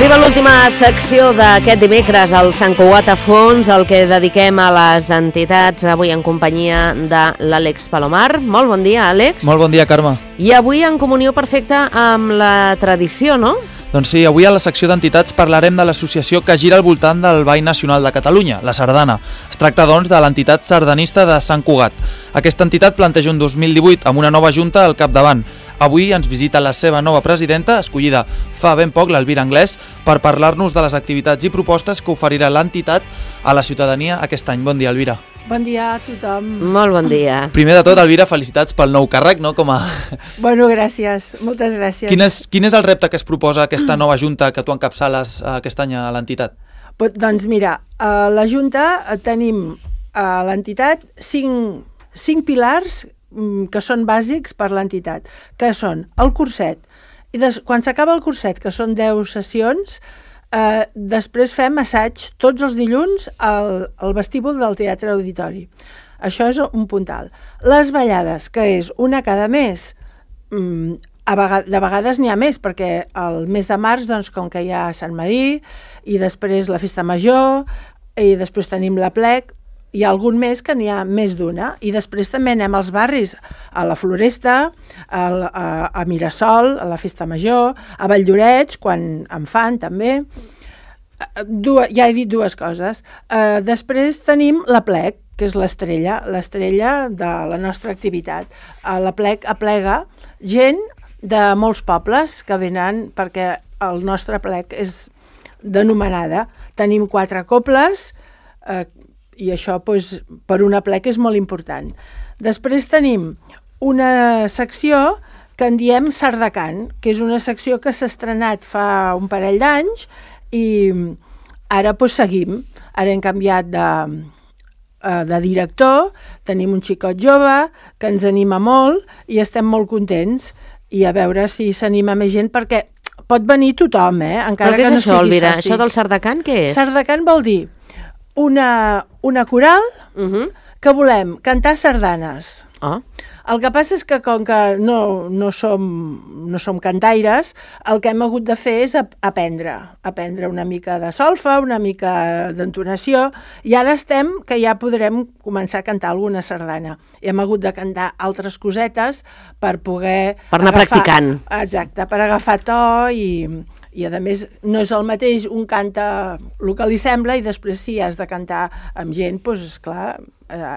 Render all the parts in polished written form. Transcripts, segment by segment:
Arriba l'última secció d'aquest dimecres, el Sant Cugat a fons, el que dediquem a les entitats, avui en companyia de l'Àlex Palomar. Molt bon dia, Àlex. Molt bon dia, Carme. I avui en comunió perfecta amb la tradició, no? Doncs sí, avui a la secció d'entitats parlarem de l'associació que gira al voltant del Ball Nacional de Catalunya, la Sardana. Es tracta, doncs, de l'entitat sardanista de Sant Cugat. Aquesta entitat planteja un 2018 amb una nova junta al capdavant. Avui ens visita la seva nova presidenta, escollida fa ben poc, l'Elvira Anglès, per parlar-nos de les activitats i propostes que oferirà l'entitat a la ciutadania aquest any. Bon dia, Elvira. Bon dia a tothom. Molt bon dia. Primer de tot, Elvira, felicitats pel nou càrrec, no? Bueno, gràcies, moltes gràcies. Quin és el repte que es proposa aquesta nova junta que tu encapçales aquest any a l'entitat? Doncs mira, a la Junta tenim a l'entitat cinc pilars que són bàsics per l'entitat, que són el curset. I quan s'acaba el curset, que són 10 sessions, després fem assaig tots els dilluns al vestíbul del Teatre Auditori. Això és un puntal. Les ballades, que és una cada mes, de vegades n'hi ha més, perquè el mes de març, doncs, com que hi ha Sant Medir, i després la Festa Major, i després tenim l'Aplec, hi ha algun mes que n'hi ha més d'una, i després també anem als barris, a la Floresta, a Mirasol, a la Festa Major, a Valldoreix, quan en fan també. Ja he dit dues coses. Després tenim l'Aplec, que és l'estrella de la nostra activitat. L'Aplec aplega gent de molts pobles que venen perquè el nostre aplec és d'anomenada. Tenim 4 cobles, i això per un aplec és molt important. Després tenim una secció que en diem Sardacant, que és una secció que s'ha estrenat fa un parell d'anys i ara seguim. Ara hem canviat de director, tenim un xicot jove que ens anima molt i estem molt contents, i a veure si s'anima més gent, perquè pot venir tothom, encara que no sigui soci. Però què és això, Elvira? Això del Sardacant què és? Sardacant vol dir una coral que volem cantar sardanes. El que passa és que com que no som cantaires, el que hem hagut de fer és aprendre una mica de solfa, una mica d'entonació, i ara estem que ja podrem començar a cantar alguna sardana. I hem hagut de cantar altres cosetes per poder... Per anar practicant. Exacte, per agafar to i a més no és el mateix un canta el que li sembla i després si has de cantar amb gent, doncs esclar,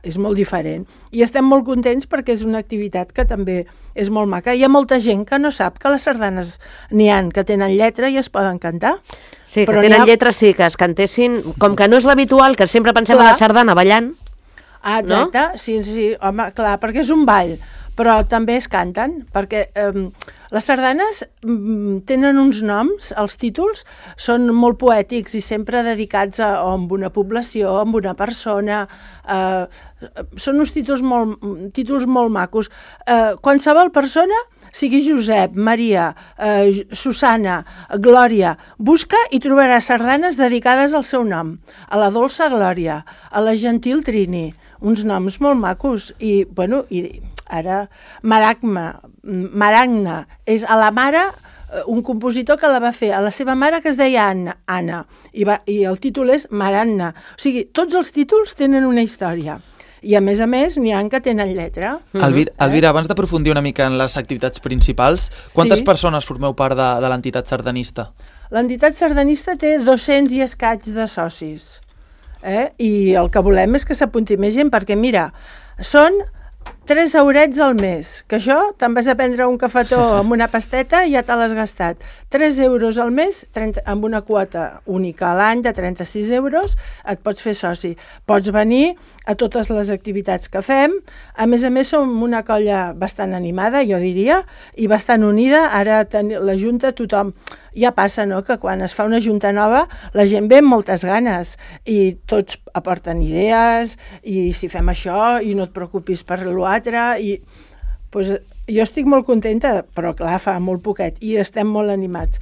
és molt diferent. I estem molt contents perquè és una activitat que també és molt maca. Hi ha molta gent que no sap que les sardanes n'hi ha que tenen lletra i es poden cantar. Sí, que tenen lletra, sí, que es cantessin, com que no és l'habitual, que sempre pensem en la sardana ballant. Exacte, no? Sí, home, clar, perquè és un ball, però també es canten, perquè les sardanes tenen uns noms, els títols són molt poètics i sempre dedicats a una població, a una persona, són uns títols molt macos. Qualsevol persona, sigui Josep, Maria, Susana, Glòria, busca i trobarà sardanes dedicades al seu nom, a la dolça Glòria, a la gentil Trini, uns noms molt macos, i bueno, ara Maragna és a la mare, un compositor que la va fer a la seva mare que es deia Anna, i el títol és Maragna. O sigui, tots els títols tenen una història. I a més n'hi ha que tenen lletra. Elvira, abans d'aprofundir una mica en les activitats principals, quantes persones formeu part de l'entitat sardanista? L'entitat sardanista té 200 i escaig de socis. I el que volem és que s'apunti més gent, perquè mira, són 3 eurets al mes, que això te'n vas a prendre un cafetó amb una pasteta i ja te l'has gastat. 3 euros al mes, amb una quota única a l'any de 36 euros, et pots fer soci. Pots venir a totes les activitats que fem. A més, som una colla bastant animada, jo diria, i bastant unida. Ara la Junta, tothom... Ja passa, no?, que quan es fa una junta nova la gent ve amb moltes ganes i tots aporten idees i si fem això i no et preocupis per l'altre i jo estic molt contenta, però clar, fa molt poquet i estem molt animats.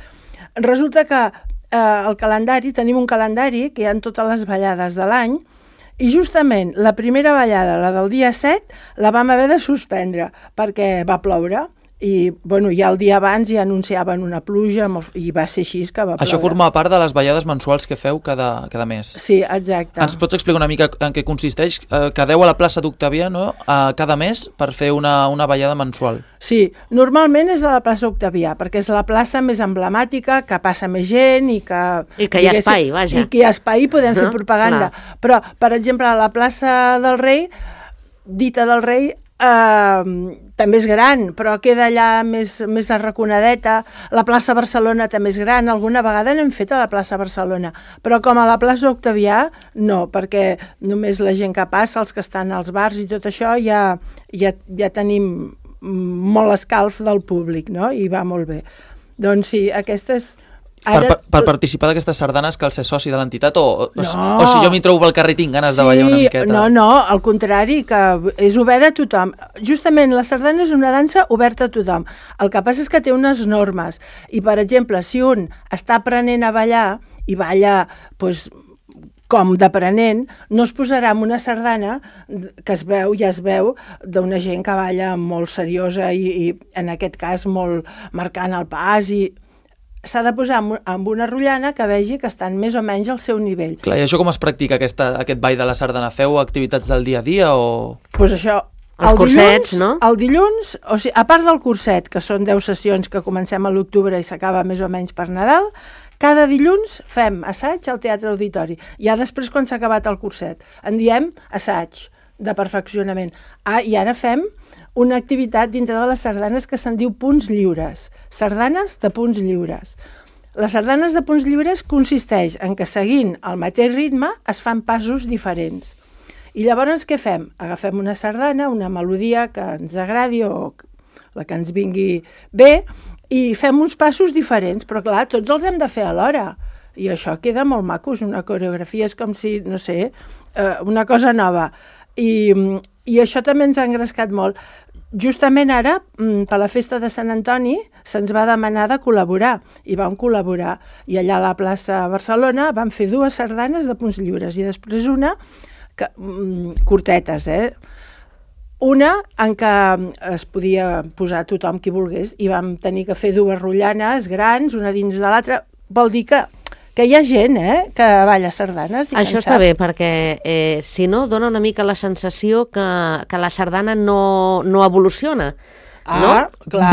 Resulta que el calendari, tenim un calendari que hi ha totes les ballades de l'any i justament la primera ballada, la del dia 7, la vam haver de suspendre perquè va ploure I bueno, ja el dia abans ja anunciaven una pluja i va ser així que va ploure. Això forma part de les ballades mensuals que feu cada mes. Sí, exacte. Ens pots explicar una mica en què consisteix? Quedeu a la plaça d'Octavià, no? Cada mes per fer una ballada mensual. Sí, normalment és a la plaça Octavià, perquè és la plaça més emblemàtica, que passa més gent i que... I que hi ha espai, vaja. I que hi ha espai i podem fer propaganda. Clar. Però, per exemple, a la plaça del Rei, dita del Rei, també és gran, però queda allà més arraconadeta. La plaça Barcelona també és gran, alguna vegada n'hem fet a la plaça Barcelona, però com a la plaça Octavià, no, perquè només la gent que passa, els que estan als bars i tot això, ja tenim molt escalf del públic, no? I va molt bé. Doncs sí, aquestes... Per participar d'aquestes sardanes cal ser soci de l'entitat o si jo m'hi trobo pel carrer i tinc ganes de ballar una miqueta? No, al contrari, que és obert a tothom. Justament la sardana és una dansa oberta a tothom. El que passa és que té unes normes i, per exemple, si un està aprenent a ballar i balla doncs, com d'aprenent, no es posarà en una sardana que es veu d'una gent que balla molt seriosa i en aquest cas molt marcant el pas i... s'ha de posar amb una rotllana que vegi que estan més o menys al seu nivell. Clar, i això com es practica, aquest ball de la sardana? Feu activitats del dia a dia o...? Doncs això, els cursets, no? El dilluns, o sigui, a part del curset, que són 10 sessions que comencem a l'octubre i s'acaba més o menys per Nadal, cada dilluns fem assaig al Teatre Auditori. Ja després, quan s'ha acabat el curset, en diem assaig de perfeccionament. I ara fem una activitat dintre de les sardanes que se'n diu punts lliures. Sardanes de punts lliures. Les sardanes de punts lliures consisteix en que seguint el mateix ritme es fan passos diferents. I llavors què fem? Agafem una sardana, una melodia que ens agradi o la que ens vingui bé i fem uns passos diferents, però clar, tots els hem de fer alhora. I això queda molt maco, és una coreografia, és com si, no sé, una cosa nova. I això també ens ha engrescat molt. Justament ara, per la festa de Sant Antoni, se'ns va demanar de col·laborar, i vam col·laborar. I allà a la plaça Barcelona vam fer 2 sardanes de punts lliures, i després una, curtetes, una en què es podia posar tothom qui volgués, i vam tenir que fer 2 rotllanes grans, una dins de l'altra. Vol dir que hi ha gent que balla sardanes. Això està bé, perquè si no, dona una mica la sensació que la sardana no evoluciona. No? Clar.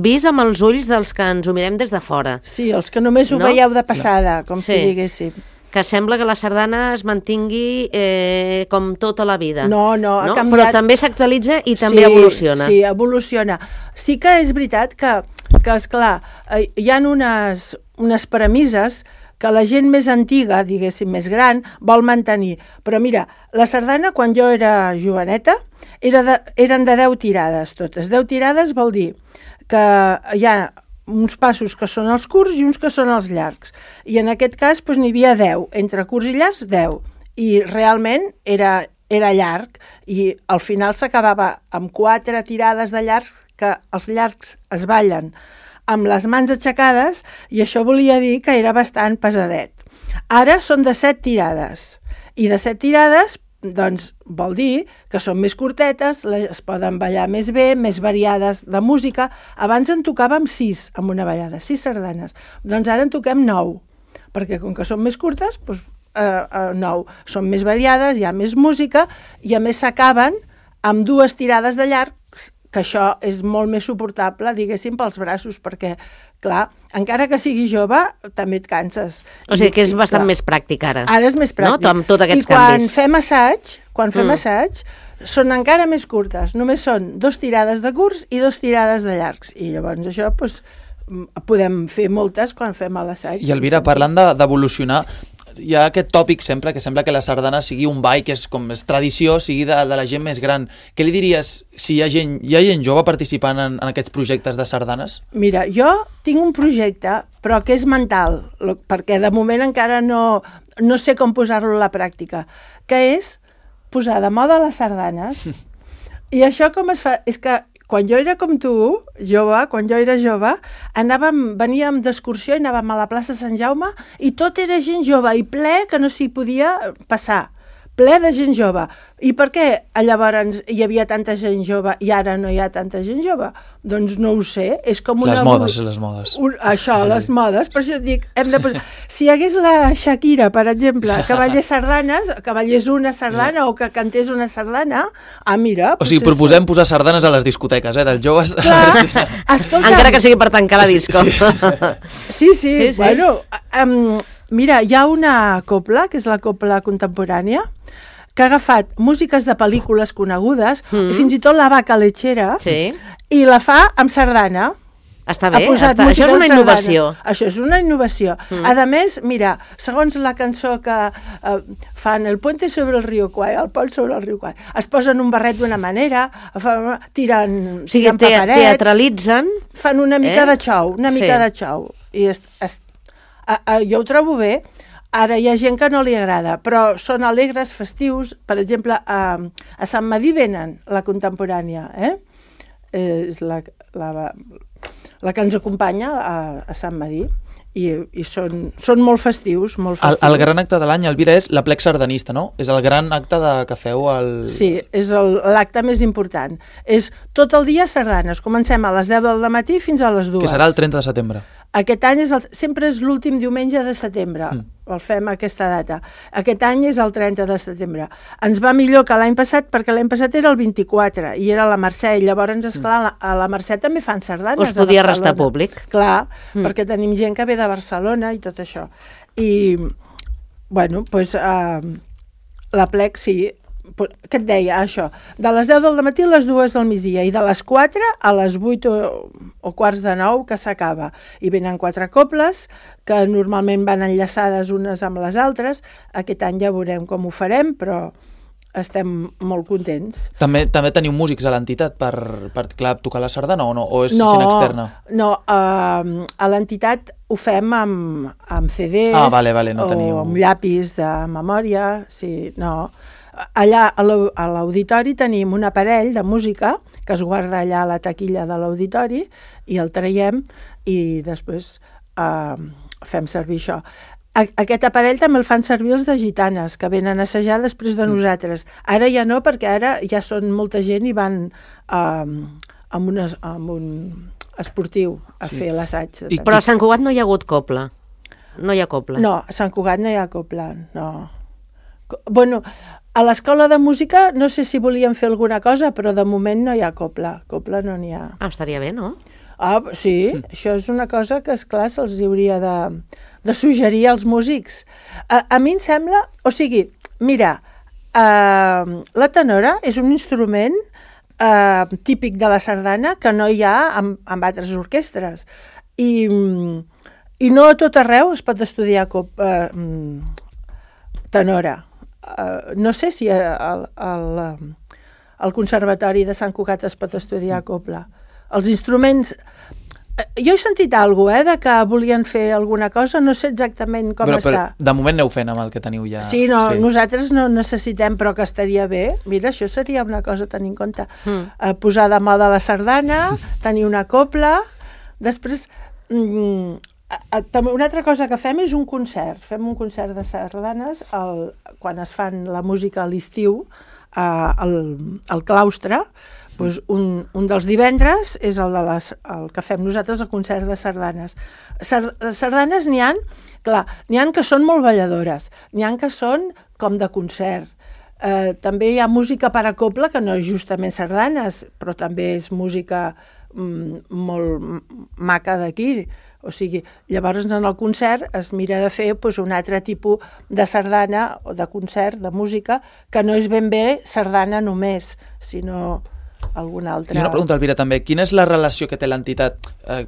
Vist amb els ulls dels que ens ho mirem des de fora. Sí, els que només ho veieu de passada, com si diguéssim. Que sembla que la sardana es mantingui com tota la vida. No, ha canviat. Però també s'actualitza i també evoluciona. Sí, evoluciona. Sí que és veritat que esclar, hi ha unes premisses que la gent més antiga, diguéssim, més gran, vol mantenir. Però mira, la sardana, quan jo era joveneta, eren de 10 tirades totes. 10 tirades vol dir que hi ha uns passos que són els curts i uns que són els llargs. I en aquest cas n'hi havia 10, entre curts i llargs 10. I realment era llarg i al final s'acabava amb 4 tirades de llargs, que els llargs es ballen amb les mans aixecades i això volia dir que era bastant pesadet. Ara són de 7 tirades i de 7 tirades doncs vol dir que són més curtetes, es poden ballar més bé, més variades de música. Abans en tocàvem 6 amb una ballada, 6 sardanes. Doncs ara en toquem 9, perquè com que són més curtes, doncs 9. Són més variades, hi ha més música i a més s'acaben amb 2 tirades de llargs, que això és molt més suportable, diguéssim, pels braços, perquè, clar, encara que siguis jove, també et canses. O sigui que és bastant més pràctic ara. Ara és més pràctic. No? Amb tots aquests canvis. I quan fem assaig, són encara més curtes. Només són 2 tirades de curts i 2 tirades de llargs. I llavors això, doncs, podem fer moltes quan fem l'assaig. I Elvira, parlant d'evolucionar, hi ha aquest tòpic sempre, que sembla que la sardana sigui un ball que és tradició, sigui de la gent més gran. Què li diries si hi ha gent jove participant en aquests projectes de sardanes? Mira, jo tinc un projecte, però que és mental, perquè de moment encara no sé com posar-lo a la pràctica, que és posar de moda les sardanes. I això com es fa? És que quan jo era com tu, quan jo era jove, veníem d'excursió i anàvem a la plaça Sant Jaume i tot era gent jove i ple que no s'hi podia passar. ple de gent jove. I per què llavors hi havia tanta gent jove i ara no hi ha tanta gent jove? Doncs no ho sé, és com una... Les modes. Les modes, per això dic, si hi hagués la Shakira, per exemple, que ballés sardanes, que ballés una sardana o que cantés una sardana, mira... O sigui, proposem posar sardanes a les discoteques, dels joves. Clar, escolta... Encara que sigui per tancar la disco. Sí. Bueno, mira, hi ha una copla, que és la copla contemporània, que ha agafat músiques de pel·lícules conegudes, i fins i tot La vaca lechera, i la fa amb sardana. Està bé, això és una innovació. Això és una innovació. A més, mira, segons la cançó que fan El puente sobre el riu Kwai, el pont sobre el riu Kwai, es posen un barret d'una manera, tiren paperets... Teatralitzen. Fan una mica de xou, I jo ho trobo bé. Ara hi ha gent que no li agrada, però són alegres, festius. Per exemple, a Sant Medir venen la contemporània, és la que ens acompanya a Sant Medir, i són molt festius, molt festius. El gran acte de l'any, Elvira, és l'Aplec Sardanista, no? És el gran acte que feu al... Sí, és l'acte més important. És tot el dia sardanes. Comencem a les 10 del matí fins a les 2. Que serà el 30 de setembre. Aquest any sempre és l'últim diumenge de setembre, el fem aquesta data. Aquest any és el 30 de setembre. Ens va millor que l'any passat, perquè l'any passat era el 24, i era la Mercè, i llavors, esclar, a la Mercè també fan sardanes. Us podia restar públic. Clar, perquè tenim gent que ve de Barcelona i tot això. I, bueno, doncs, l'Aplec, sí, què et deia, això, de les 10 del matí a les 2 del migdia, i de les 4 a les 8 o quarts de 9 que s'acaba. I venen 4 coples, que normalment van enllaçades unes amb les altres. Aquest any ja veurem com ho farem, però estem molt contents. També teniu músics a l'entitat per tocar la sardana o no? O és gent externa? No, a l'entitat ho fem amb CDs no teniu... o amb llapis de memòria, sí, no... Allà a l'auditori tenim un aparell de música que es guarda allà a la taquilla de l'auditori i el traiem i després fem servir això. Aquest aparell també el fan servir els de gitanes, que venen a assajar després de nosaltres. Ara ja no, perquè ara ja són molta gent i van amb un esportiu a fer l'assaig. Però a Sant Cugat no hi ha hagut copla? No hi ha copla? No, a Sant Cugat no hi ha copla, no. Bueno, a l'escola de música no sé si volíem fer alguna cosa, però de moment no hi ha copla. Copla no n'hi ha. Estaria bé, no? Sí, això és una cosa que, esclar, se'ls hauria de suggerir als músics. A mi em sembla... O sigui, mira, la tenora és un instrument típic de la sardana que no hi ha amb altres orquestres. I no a tot arreu es pot estudiar tenora. No sé si al Conservatori de Sant Cugat es pot estudiar copla. Els instruments... Jo he sentit alguna cosa, de que volien fer alguna cosa, no sé exactament com està. Però de moment aneu fent amb el que teniu ja. Sí, nosaltres no necessitem, però que estaria bé. Mira, això seria una cosa a tenir en compte. Posar de moda la sardana, tenir una copla, després... Una altra cosa que fem és un concert. Fem un concert de sardanes quan es fan la música a l'estiu al claustre. Doncs un dels divendres és el que fem nosaltres, el concert de sardanes. Sardanes n'hi ha que són molt balladores, n'hi ha que són com de concert. També hi ha música per a copla, que no és justament sardanes, però també és música molt maca d'aquí. O sigui, llavors en el concert es mira de fer un altre tipus de sardana o de concert, de música, que no és ben bé sardana només, sinó alguna altra... I una pregunta, Elvira, també. Quina és la relació que té l'entitat?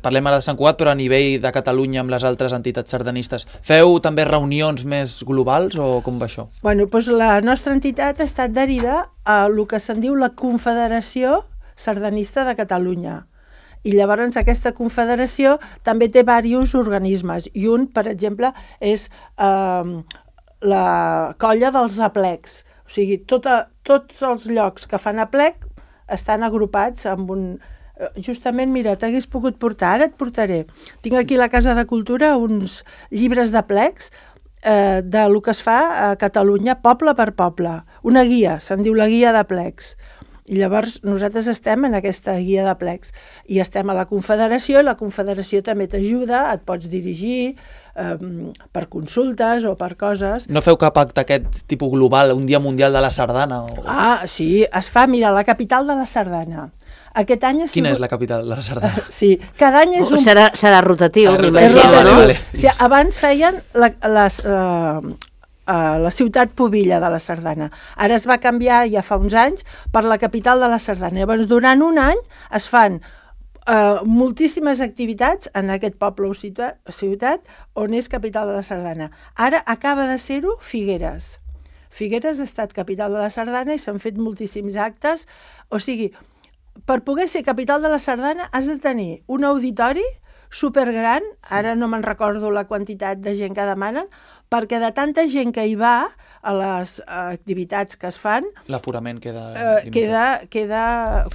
Parlem ara de Sant Cugat, però a nivell de Catalunya amb les altres entitats sardanistes. Feu també reunions més globals o com va això? Bueno, doncs la nostra entitat està adherida a el que se'n diu la Confederació Sardanista de Catalunya. I llavors aquesta confederació també té diversos organismes, i un, per exemple, és la colla dels aplecs. O sigui, tots els llocs que fan aplec estan agrupats amb un... Justament, mira, t'hagués pogut portar, ara et portaré. Tinc aquí a la Casa de Cultura uns llibres d'aplecs del que es fa a Catalunya, poble per poble. Una guia, se'n diu la guia de plecs. I llavors nosaltres estem en aquesta guia de plecs i estem a la Confederació i la Confederació també t'ajuda, et pots dirigir per consultes o per coses. No feu cap acte aquest tipus global, un dia mundial de la sardana? O... Ah, sí, es fa, mira, la capital de la sardana. Aquest any Quina és la capital de la sardana? Sí, cada any és un... Serà rotatiu, m'imagino, no? Vale. O sigui, abans feien la ciutat pubilla de la sardana. Ara es va canviar ja fa uns anys per la capital de la sardana. Llavors, durant un any es fan moltíssimes activitats en aquest poble o ciutat on és capital de la sardana. Ara acaba de ser-ho Figueres. Figueres ha estat capital de la sardana i s'han fet moltíssims actes. O sigui, per poder ser capital de la sardana has de tenir un auditori supergran, ara no me'n recordo la quantitat de gent que demanen, perquè de tanta gent que hi va a les activitats que es fan... L'aforament queda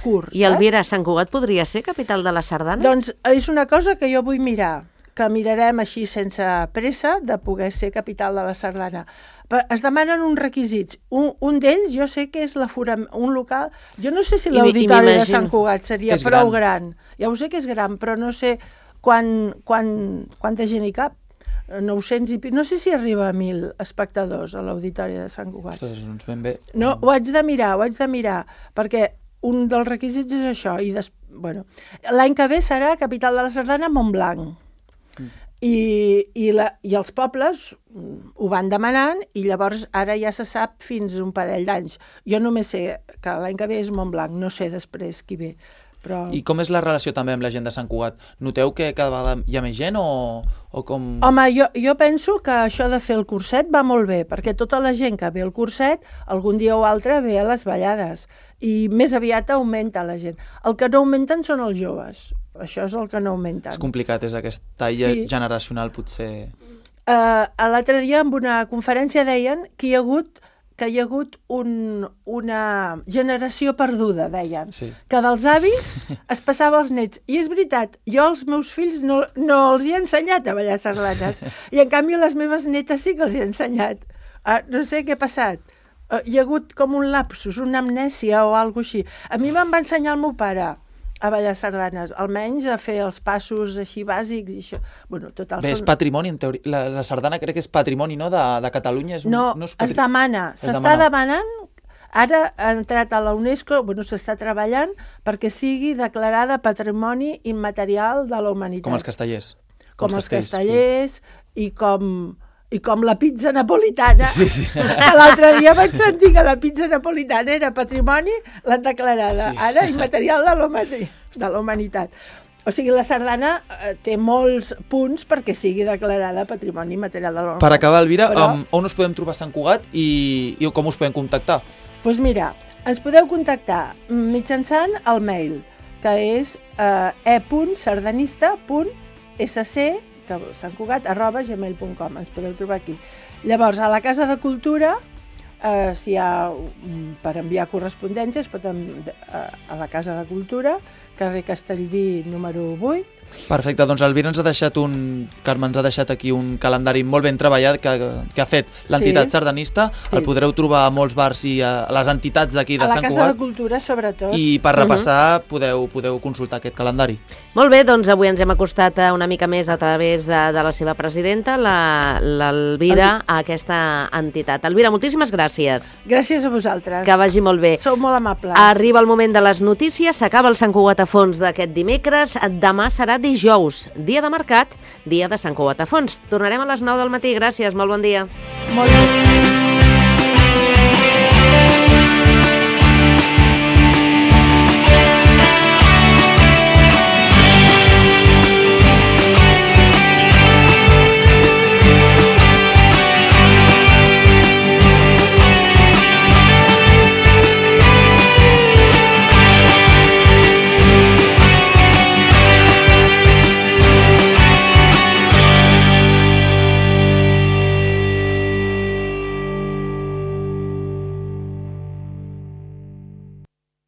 curt. I Elvira, Sant Cugat podria ser capital de la sardana? Doncs és una cosa que jo vull mirar, que mirarem així sense pressa de poder ser capital de la sardana. Es demanen uns requisits. Un d'ells jo sé que és un local... Jo no sé si l'auditori de Sant Cugat seria prou gran. Ja ho sé que és gran, però no sé quanta gent hi cap. 900 i... No sé si arriba a 1.000 espectadors a l'auditori de Sant Cugat. Ostres, doncs ben bé. No, ho haig de mirar, perquè un dels requisits és això. L'any que ve serà capital de la sardana Montblanc. I els pobles ho van demanant i llavors ara ja se sap fins un parell d'anys. Jo només sé que l'any que ve és Montblanc, no sé després qui ve. Però... I com és la relació també amb la gent de Sant Cugat? Noteu que cada vegada hi ha més gent o com... Home, jo penso que això de fer el curset va molt bé, perquè tota la gent que ve al curset algun dia o altre ve a les ballades i més aviat augmenta la gent. El que no augmenten són els joves. Això és el que no augmenten. És complicat, és aquest tall generacional potser... L'altre dia en una conferència deien que hi ha hagut una generació perduda, deien, que dels avis es passava als nets. I és veritat, jo als meus fills no els he ensenyat a ballar sardanes, i en canvi a les meves netes sí que els he ensenyat. No sé què ha passat. Hi ha hagut com un lapsus, una amnèsia o alguna cosa així. A mi me'n va ensenyar el meu pare a ballar sardanes, almenys a fer els passos així bàsics i això. Bé, és patrimoni, en teoria. La sardana crec que és patrimoni, no?, de Catalunya. No, es demana. S'està demanant, ara ha entrat a la UNESCO, s'està treballant perquè sigui declarada patrimoni immaterial de la humanitat. Com els castellers. Com els castellers i com la pizza napolitana. Sí. L'altre dia vaig sentir que la pizza napolitana era patrimoni, l'han declarada. Ara, immaterial de la humanitat. O sigui, la sardana té molts punts perquè sigui declarada patrimoni immaterial de la humanitat. Per acabar, Elvira, on us podem trobar a Sant Cugat i com us podem contactar? Doncs mira, ens podeu contactar mitjançant el mail, que és e.sardanista.sc@santcugat.gmail.com. Ens podeu trobar aquí. Llavors, a la Casa de Cultura, si hi ha per enviar correspondència, es pot a la Casa de Cultura, carrer Castellví número 8. Perfecte, doncs Elvira Carme ens ha deixat aquí un calendari molt ben treballat que ha fet l'entitat sardanista. El podreu trobar a molts bars i a les entitats d'aquí de Sant Cugat. A la Casa de Cultura, sobretot. I per repassar podeu consultar aquest calendari. Molt bé, doncs avui ens hem acostat una mica més a través de la seva presidenta, l'Elvira, a aquesta entitat. Elvira, moltíssimes gràcies. Gràcies a vosaltres. Que vagi molt bé. Sou molt amables. Arriba el moment de les notícies, s'acaba el Sant Cugat a Fons d'aquest dimecres, demà serà dijous, dia de mercat, dia de Sant Cugat a Fons. Tornarem a les 9 del matí. Gràcies, molt bon dia. Molt bé.